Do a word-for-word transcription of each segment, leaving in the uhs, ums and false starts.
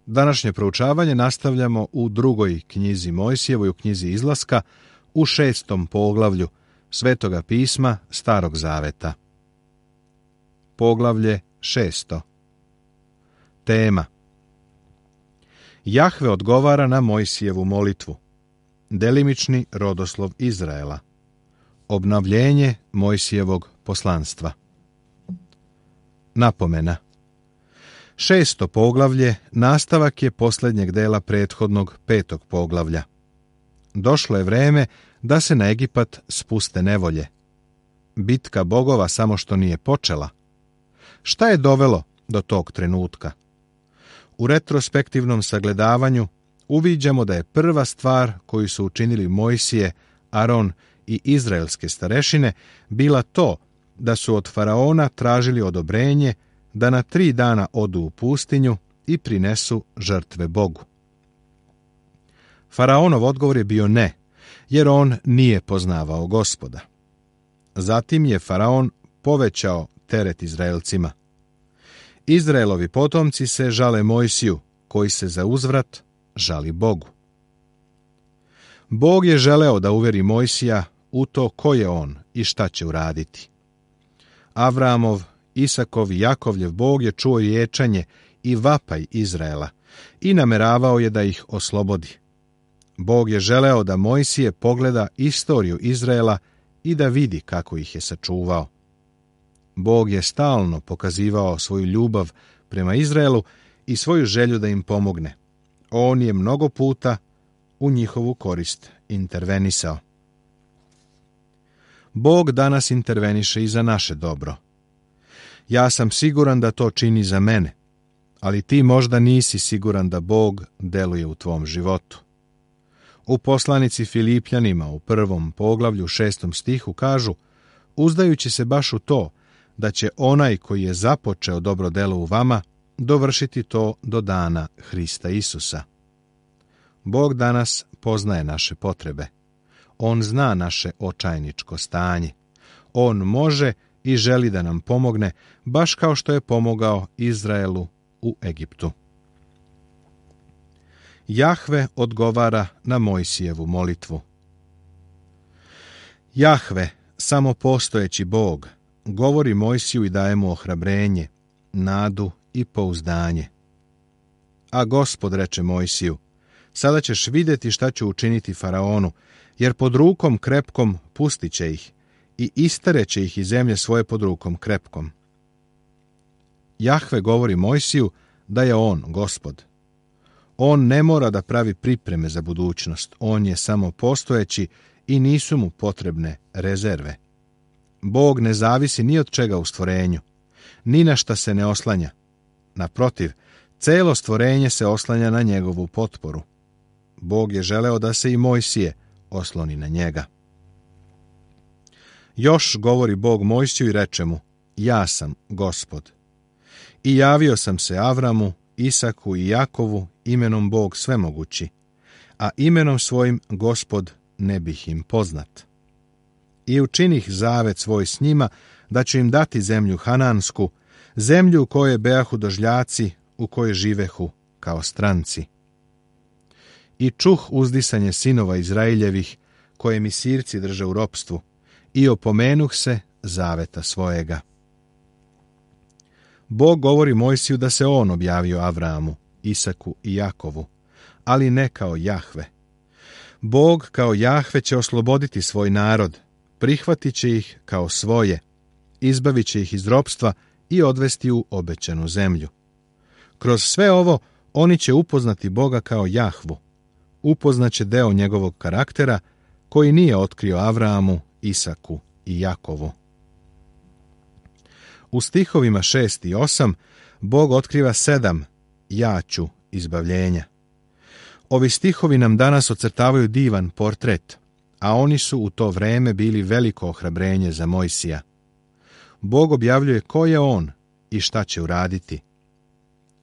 Današnje proučavanje nastavljamo u drugoj knjizi Mojsijevoj, u knjizi Izlaska, u šestom poglavlju Svetoga pisma Starog zaveta. Poglavlje šesto. Tema: Jahve odgovara na Mojsijevu molitvu. Delimični rodoslov Izraela. Obnovljenje Mojsijevog poslanstva. Napomena: Šesto poglavlje nastavak je posljednjeg dela prethodnog petog poglavlja. Došlo je vreme da se na Egipat spuste nevolje. Bitka bogova samo što nije počela. Šta je dovelo do tog trenutka? U retrospektivnom sagledavanju uviđamo da je prva stvar koju su učinili Mojsije, Aron i izraelske starešine bila to da su od faraona tražili odobrenje da na tri dana odu u pustinju i prinesu žrtve Bogu. Faraonov odgovor je bio ne, jer on nije poznavao Gospoda. Zatim je faraon povećao teret Izraelcima. Izraelovi potomci se žale Mojsiju, koji se za uzvrat žali Bogu. Bog je želeo da uveri Mojsija u to ko je on i šta će uraditi. Avramov, Isakov i Jakovljev Bog je čuo ječanje i vapaj Izraela i nameravao je da ih oslobodi. Bog je želeo da Mojsije pogleda istoriju Izraela i da vidi kako ih je sačuvao. Bog je stalno pokazivao svoju ljubav prema Izraelu i svoju želju da im pomogne. On je mnogo puta u njihovu korist intervenisao. Bog danas interveniše i za naše dobro. Ja sam siguran da to čini za mene, ali ti možda nisi siguran da Bog deluje u tvom životu. U poslanici Filipljanima u prvom poglavlju šestom stihu kažu: uzdajući se baš u to da će onaj koji je započeo dobro delo u vama dovršiti to do dana Hrista Isusa. Bog danas poznaje naše potrebe. On zna naše očajničko stanje. On može i želi da nam pomogne, baš kao što je pomogao Izraelu u Egiptu. Jahve odgovara na Mojsijevu molitvu. Jahve, samopostojeći Bog, govori Mojsiju i daje mu ohrabrenje, nadu i pouzdanje. A Gospod reče Mojsiju: sada ćeš vidjeti šta ću učiniti faraonu, jer pod rukom krepkom pustit će ih i istareće ih iz zemlje svoje pod rukom krepkom. Jahve govori Mojsiju da je on Gospod. On ne mora da pravi pripreme za budućnost, on je samo postojeći i nisu mu potrebne rezerve. Bog ne zavisi ni od čega u stvorenju, ni na šta se ne oslanja. Naprotiv, celo stvorenje se oslanja na njegovu potporu. Bog je želeo da se i Mojsije osloni na njega. Još govori Bog Mojsiju i reče mu: ja sam Gospod. I javio sam se Avramu, Isaku i Jakovu imenom Bog svemogući, a imenom svojim Gospod ne bih im poznat. I učinih zavet svoj s njima da ću im dati zemlju Hanansku, zemlju u kojoj bejahu dožljaci, u kojoj živehu kao stranci. I čuh uzdisanje sinova Izraeljevih, koje mi sirci drže u ropstvu, i opomenuh se zaveta svojega. Bog govori Mojsiju da se on objavio Avramu, Isaku i Jakovu, ali ne kao Jahve. Bog kao Jahve će osloboditi svoj narod, prihvatit će ih kao svoje, izbavit će ih iz ropstva i odvesti u obećanu zemlju. Kroz sve ovo oni će upoznati Boga kao Jahvu, upoznaće deo njegovog karaktera koji nije otkrio Avramu, Isaku i Jakovu. U stihovima šest i osam Bog otkriva sedam ja ću izbavljenja. Ovi stihovi nam danas ocrtavaju divan portret, a oni su u to vreme bili veliko ohrabrenje za Mojsija. Bog objavljuje ko je on i šta će uraditi.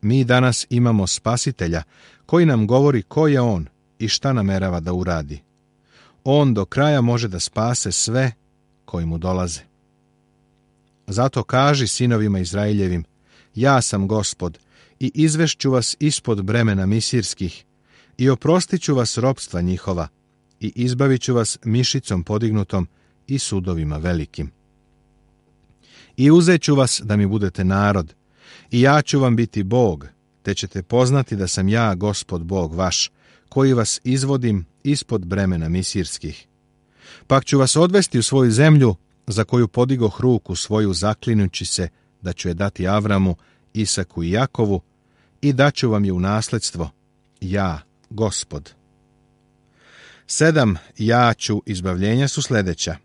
Mi danas imamo Spasitelja koji nam govori ko je on i šta namerava da uradi. On do kraja može da spase sve koji mu dolaze. Zato kaži sinovima Izraeljevim: ja sam Gospod i izvešću vas ispod bremena misirskih i oprostit ću vas ropstva njihova i izbavit ću vas mišicom podignutom i sudovima velikim. I uzet ću vas da mi budete narod i ja ću vam biti Bog, te ćete poznati da sam ja Gospod Bog vaš, koji vas izvodim ispod bremena misirskih. Pak ću vas odvesti u svoju zemlju, za koju podigoh ruku svoju zaklinući se da ću je dati Avramu, Isaku i Jakovu, i daću vam je u nasledstvo, ja, Gospod. Sedam ja ću izbavljenja su sljedeća.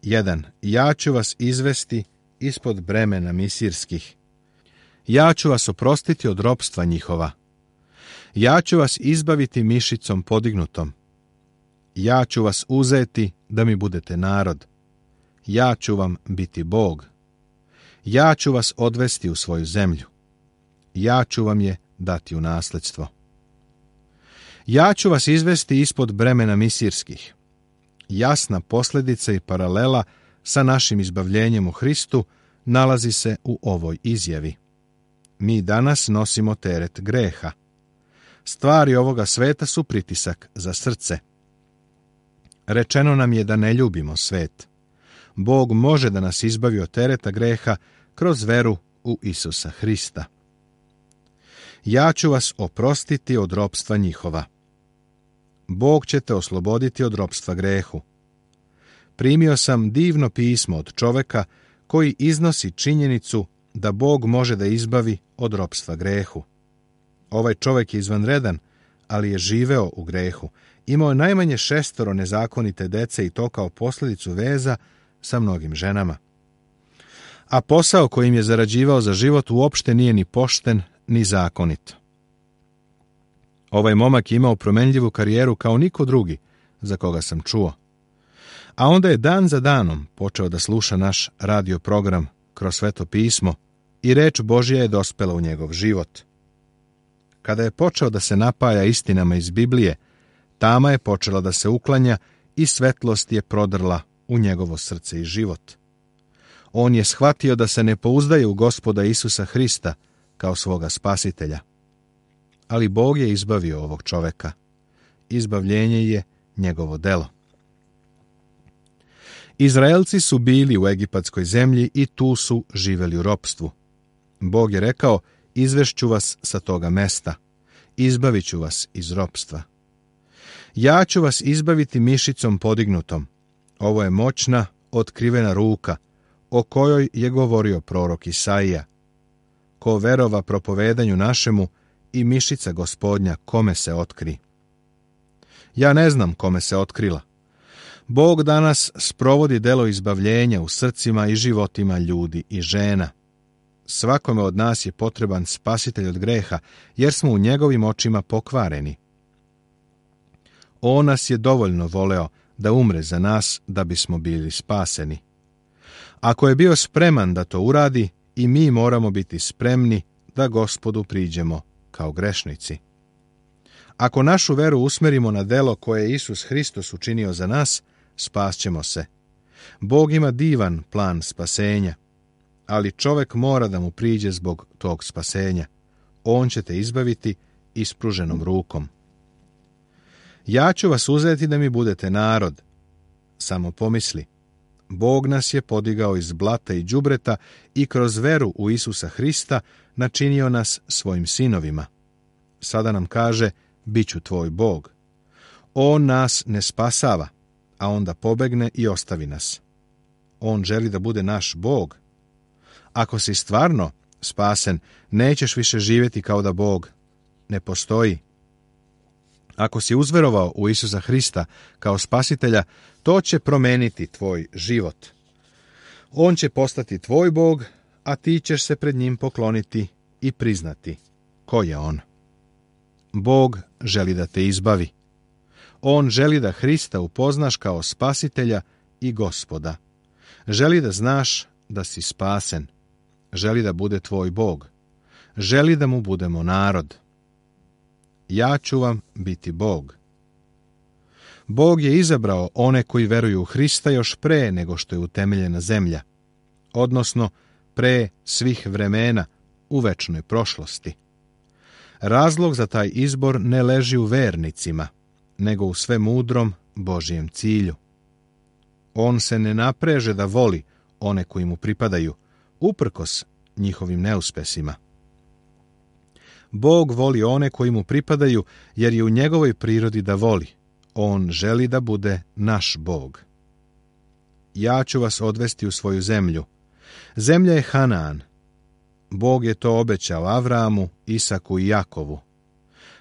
Jedan. Ja ću vas izvesti ispod bremena misirskih. Ja ću vas oprostiti od ropstva njihova. Ja ću vas izbaviti mišicom podignutom. Ja ću vas uzeti da mi budete narod. Ja ću vam biti Bog. Ja ću vas odvesti u svoju zemlju. Ja ću vam je dati u nasledstvo. Ja ću vas izvesti ispod bremena misirskih. Jasna posljedica i paralela sa našim izbavljenjem u Hristu nalazi se u ovoj izjavi. Mi danas nosimo teret greha. Stvari ovoga sveta su pritisak za srce. Rečeno nam je da ne ljubimo svet. Bog može da nas izbavi od tereta greha kroz veru u Isusa Hrista. Ja ću vas oprostiti od ropstva njihova. Bog će te osloboditi od ropstva grehu. Primio sam divno pismo od čoveka koji iznosi činjenicu da Bog može da izbavi od ropstva grehu. Ovaj čovek je izvanredan, ali je živeo u grehu. Imao je najmanje šestoro nezakonite dece i to kao posljedicu veza sa mnogim ženama. A posao kojim je zarađivao za život uopšte nije ni pošten, ni zakonit. Ovaj momak je imao promenljivu karijeru kao niko drugi za koga sam čuo. A onda je dan za danom počeo da sluša naš radio program kroz Sveto pismo i reč Božja je dospela u njegov život. Kada je počeo da se napaja istinama iz Biblije, tama je počela da se uklanja i svetlost je prodrla u njegovo srce i život. On je shvatio da se ne pouzdaje u Gospoda Isusa Hrista kao svoga spasitelja. Ali Bog je izbavio ovog čoveka. Izbavljenje je njegovo delo. Izraelci su bili u egipatskoj zemlji i tu su živeli u ropstvu. Bog je rekao, izvešću vas sa toga mesta, izbavit ću vas iz ropstva. Ja ću vas izbaviti mišicom podignutom. Ovo je moćna, otkrivena ruka, o kojoj je govorio prorok Isaija. Ko verova propovedanju našemu i mišica Gospodnja kome se otkri. Ja ne znam kome se otkrila. Bog danas sprovodi delo izbavljenja u srcima i životima ljudi i žena. Svakome od nas je potreban spasitelj od greha, jer smo u njegovim očima pokvareni. On nas je dovoljno voleo da umre za nas da bismo bili spaseni. Ako je bio spreman da to uradi, i mi moramo biti spremni da Gospodu priđemo kao grešnici. Ako našu veru usmerimo na delo koje je Isus Hristos učinio za nas, spasćemo se. Bog ima divan plan spasenja, ali čovek mora da mu priđe zbog tog spasenja. On će te izbaviti ispruženom rukom. Ja ću vas uzeti da mi budete narod. Samo pomisli, Bog nas je podigao iz blata i đubreta i kroz veru u Isusa Hrista načinio nas svojim sinovima. Sada nam kaže, bit ću tvoj Bog. On nas ne spasava, a onda pobegne i ostavi nas. On želi da bude naš Bog. Ako si stvarno spasen, nećeš više živjeti kao da Bog ne postoji. Ako si uzverovao u Isusa Hrista kao spasitelja, to će promeniti tvoj život. On će postati tvoj Bog, a ti ćeš se pred njim pokloniti i priznati ko je on. Bog želi da te izbavi. On želi da Hrista upoznaš kao spasitelja i Gospoda. Želi da znaš da si spasen. Želi da bude tvoj Bog. Želi da mu budemo narod. Ja ću vam biti Bog. Bog je izabrao one koji veruju u Hrista još pre nego što je utemeljena zemlja, odnosno pre svih vremena u večnoj prošlosti. Razlog za taj izbor ne leži u vernicima, nego u svemudrom Božijem cilju. On se ne napreže da voli one koji mu pripadaju, uprkos njihovim neuspesima. Bog voli one koji mu pripadaju, jer je u njegovoj prirodi da voli. On želi da bude naš Bog. Ja ću vas odvesti u svoju zemlju. Zemlja je Hanaan. Bog je to obećao Avramu, Isaku i Jakovu.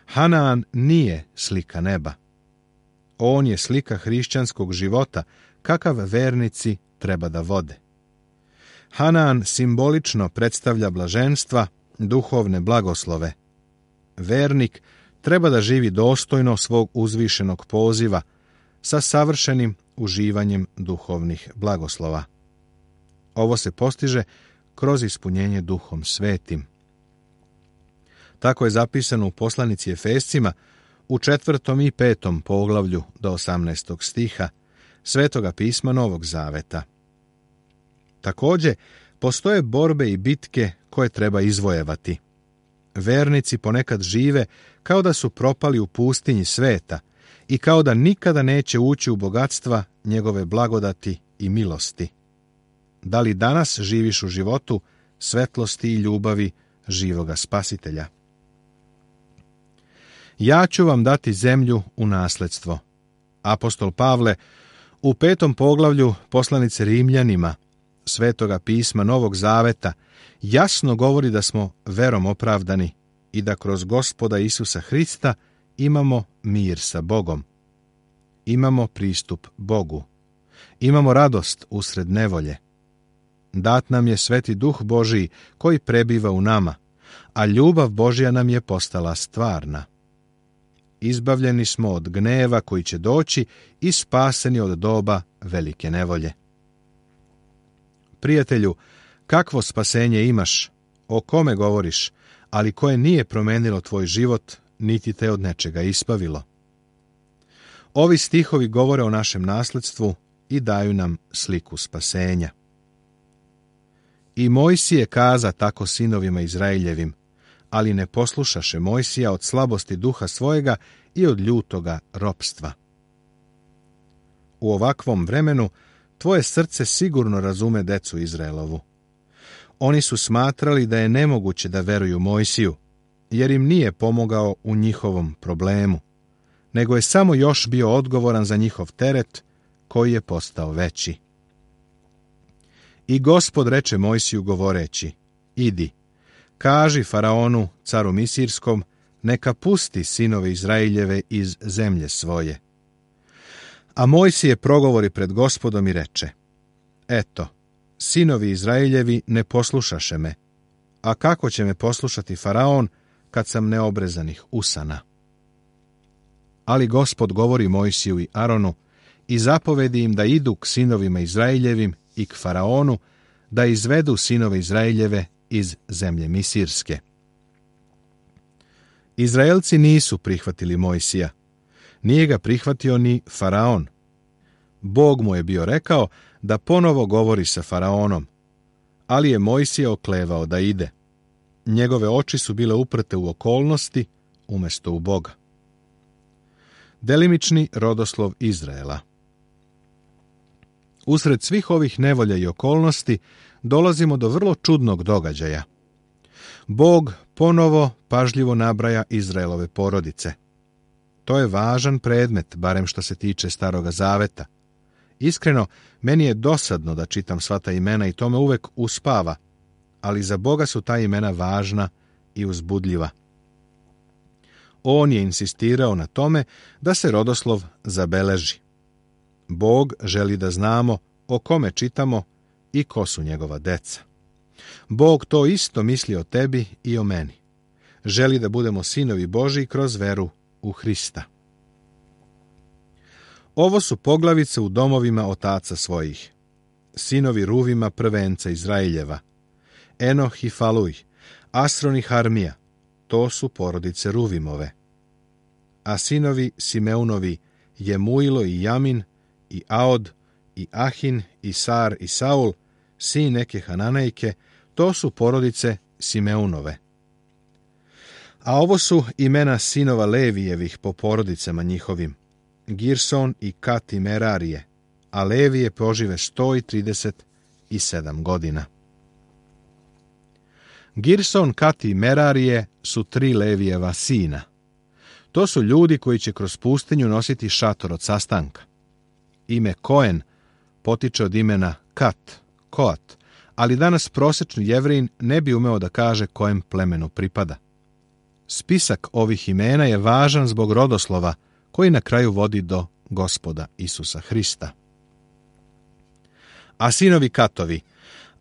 Hanaan nije slika neba. On je slika hrišćanskog života, kakav vernici treba da vode. Hanaan simbolično predstavlja blaženstva, duhovne blagoslove. Vernik treba da živi dostojno svog uzvišenog poziva, sa savršenim uživanjem duhovnih blagoslova. Ovo se postiže kroz ispunjenje Duhom Svetim. Tako je zapisano u poslanici Efescima u četvrtom i petom poglavlju do osamnaestog stiha Svetoga pisma Novog Zaveta. Također, postoje borbe i bitke koje treba izvojevati. Vernici ponekad žive kao da su propali u pustinji sveta i kao da nikada neće ući u bogatstva njegove blagodati i milosti. Da li danas živiš u životu svetlosti i ljubavi živoga Spasitelja? Ja ću vam dati zemlju u nasledstvo. Apostol Pavle u petom poglavlju poslanice Rimljanima Svetoga pisma Novog Zaveta jasno govori da smo verom opravdani i da kroz Gospoda Isusa Hrista imamo mir sa Bogom. Imamo pristup Bogu. Imamo radost usred nevolje. Dat nam je Sveti Duh Božiji koji prebiva u nama, a ljubav Božja nam je postala stvarna. Izbavljeni smo od gneva koji će doći i spaseni od doba velike nevolje. Prijatelju, kakvo spasenje imaš, o kome govoriš, ali koje nije promenilo tvoj život, niti te od nečega ispavilo. Ovi stihovi govore o našem nasledstvu i daju nam sliku spasenja. I Mojsije kaza tako sinovima Izraeljevim, ali ne poslušaše Mojsija od slabosti duha svojega i od ljutoga ropstva. U ovakvom vremenu tvoje srce sigurno razume decu Izraelovu. Oni su smatrali da je nemoguće da veruju Mojsiju, jer im nije pomogao u njihovom problemu, nego je samo još bio odgovoran za njihov teret, koji je postao veći. I Gospod reče Mojsiju govoreći, idi, kaži Faraonu, caru Misirskom, neka pusti sinove Izraeljeve iz zemlje svoje. A Mojsije progovori pred Gospodom i reče, eto, sinovi Izraeljevi ne poslušaše me, a kako će me poslušati Faraon kad sam neobrezanih usana? Ali Gospod govori Mojsiju i Aronu i zapovedi im da idu k sinovima Izraeljevim i k Faraonu, da izvedu sinove Izraeljeve iz zemlje Misirske. Izraelci nisu prihvatili Mojsija. Nije ga prihvatio ni Faraon. Bog mu je bio rekao da ponovo govori sa Faraonom, ali je Mojsije oklevao da ide. Njegove oči su bile uprte u okolnosti umjesto u Boga. Delimični rodoslov Izraela. Usred svih ovih nevolja i okolnosti dolazimo do vrlo čudnog događaja. Bog ponovo pažljivo nabraja Izraelove porodice. To je važan predmet, barem što se tiče Staroga Zaveta. Iskreno, meni je dosadno da čitam sva ta imena i to me uvek uspava, ali za Boga su ta imena važna i uzbudljiva. On je insistirao na tome da se rodoslov zabeleži. Bog želi da znamo o kome čitamo i ko su njegova deca. Bog to isto misli o tebi i o meni. Želi da budemo sinovi Božji kroz veru u Hrista. Ovo su poglavice u domovima otaca svojih. Sinovi Ruvima prvenca Izraeljeva, Enoh i Faluj, Asron i Harmija, to su porodice Ruvimove. A sinovi Simeunovi, Jemuilo i Jamin, i Aod, i Ahin, i Sar, i Saul, sin neke Hananejke, to su porodice Simeunove. A ovo su imena sinova Levijevih po porodicama njihovim, Girson i Kat i Merarije, a Levije požive sto trideset sedam godina. Girson, Kat i Merarije su tri Levijeva sina. To su ljudi koji će kroz pustinju nositi šator od sastanka. Ime Koen potiče od imena Kat, Koat, ali danas prosječni Jevrin ne bi umeo da kaže kojem plemenu pripada. Spisak ovih imena je važan zbog rodoslova koji na kraju vodi do Gospoda Isusa Hrista. A sinovi Katovi,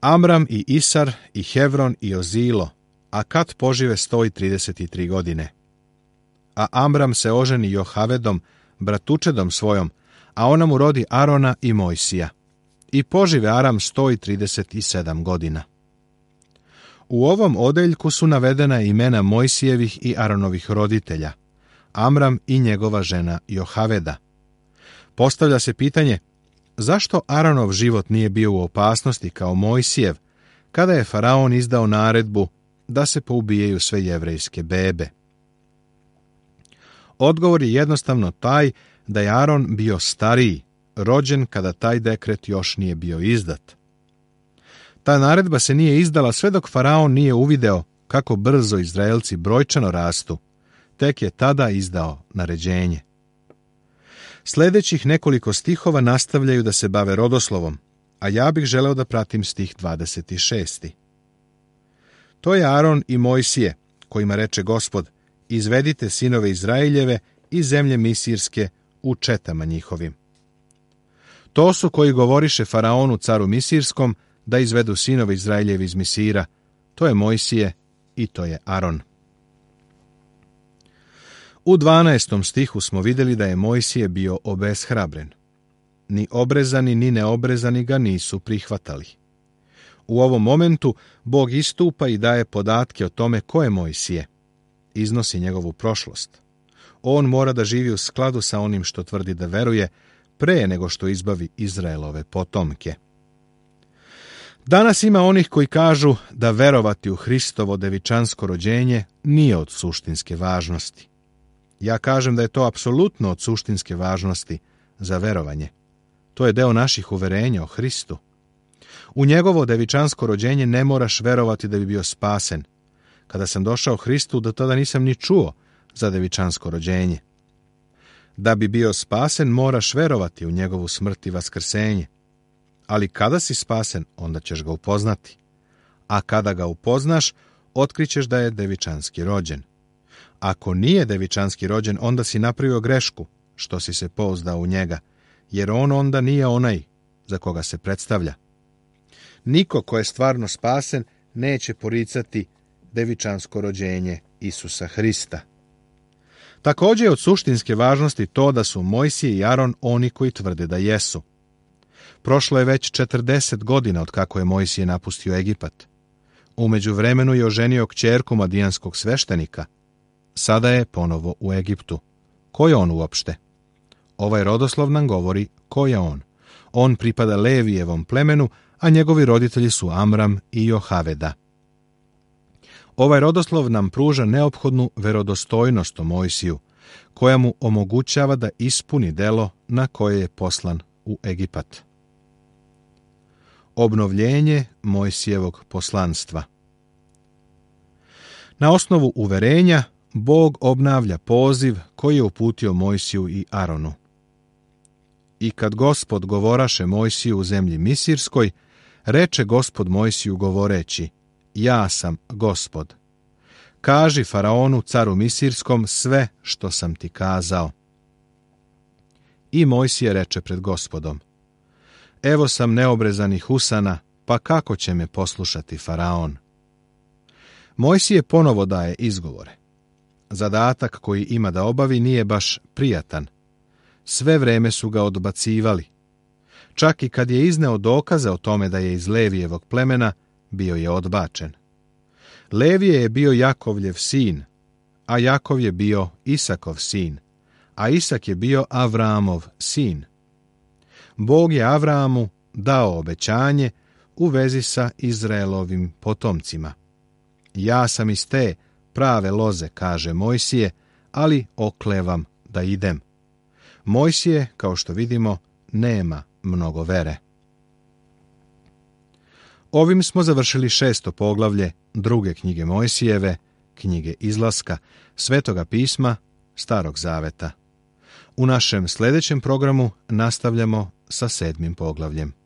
Amram i Isar i Hevron i Ozilo, a Kat požive sto trideset tri godine. A Amram se oženi Johavedom, bratučedom svojom, a ona mu rodi Arona i Mojsija. I požive Aram sto trideset sedam godina. U ovom odeljku su navedena imena Mojsijevih i Aronovih roditelja, Amram i njegova žena Johaveda. Postavlja se pitanje, zašto Aronov život nije bio u opasnosti kao Mojsijev, kada je faraon izdao naredbu da se poubijaju sve jevrejske bebe? Odgovor je jednostavno taj da je Aron bio stariji, rođen kada taj dekret još nije bio izdat. Ta naredba se nije izdala sve dok faraon nije uvideo kako brzo Izraelci brojčano rastu, tek je tada izdao naređenje. Sljedećih nekoliko stihova nastavljaju da se bave rodoslovom, a ja bih želeo da pratim stih dvadeset šest. To je Aron i Mojsije, kojima reče Gospod, izvedite sinove Izraeljeve iz zemlje Misirske u četama njihovim. To su koji govoriše faraonu caru Misirskom da izvedu sinove Izraeljevi iz Misira, to je Mojsije i to je Aron. U dvanaestom stihu smo vidjeli da je Mojsije bio obeshrabren. Ni obrezani ni neobrezani ga nisu prihvatali. U ovom momentu Bog istupa i daje podatke o tome ko je Mojsije. Iznosi njegovu prošlost. On mora da živi u skladu sa onim što tvrdi da veruje, pre nego što izbavi Izraelove potomke. Danas ima onih koji kažu da verovati u Hristovo devičansko rođenje nije od suštinske važnosti. Ja kažem da je to apsolutno od suštinske važnosti za verovanje. To je deo naših uverenja o Hristu. U njegovo devičansko rođenje ne moraš verovati da bi bio spasen. Kada sam došao Hristu, do tada nisam ni čuo za devičansko rođenje. Da bi bio spasen, moraš verovati u njegovu smrt i vaskrsenje. Ali kada si spasen, onda ćeš ga upoznati. A kada ga upoznaš, otkrićeš da je devičanski rođen. Ako nije devičanski rođen, onda si napravio grešku, što si se pouzdao u njega, jer on onda nije onaj za koga se predstavlja. Niko ko je stvarno spasen neće poricati devičansko rođenje Isusa Hrista. Također je od suštinske važnosti to da su Mojsije i Aron oni koji tvrde da jesu. Prošlo je već četrdeset godina od kako je Mojsije napustio Egipat. U međuvremenu je oženio kćerku madijanskog sveštenika. Sada je ponovo u Egiptu. Ko je on uopšte? Ovaj rodoslov nam govori ko je on. On pripada Levijevom plemenu, a njegovi roditelji su Amram i Johaveda. Ovaj rodoslov nam pruža neophodnu verodostojnost o Mojsiju, koja mu omogućava da ispuni delo na koje je poslan u Egipat. Obnovljenje Mojsijevog poslanstva. Na osnovu uverenja, Bog obnavlja poziv koji je uputio Mojsiju i Aronu. I kad Gospod govoraše Mojsiju u zemlji Misirskoj, reče Gospod Mojsiju govoreći, ja sam Gospod. Kaži faraonu caru Misirskom sve što sam ti kazao. I Mojsije reče pred Gospodom, evo sam neobrezanih usana, pa kako će me poslušati faraon? Mojsije ponovo daje izgovore. Zadatak koji ima da obavi nije baš prijatan. Sve vreme su ga odbacivali. Čak i kad je izneo dokaze o tome da je iz Levijevog plemena, bio je odbačen. Levije je bio Jakovljev sin, a Jakov je bio Isakov sin, a Isak je bio Avramov sin. Bog je Avramu dao obećanje u vezi sa Izraelovim potomcima. Ja sam iz te prave loze, kaže Mojsije, ali oklevam da idem. Mojsije, kao što vidimo, nema mnogo vere. Ovim smo završili šesto poglavlje druge knjige Mojsijeve, knjige Izlaska, Svetoga pisma, Starog zaveta. U našem sljedećem programu nastavljamo sa sedmim poglavljem.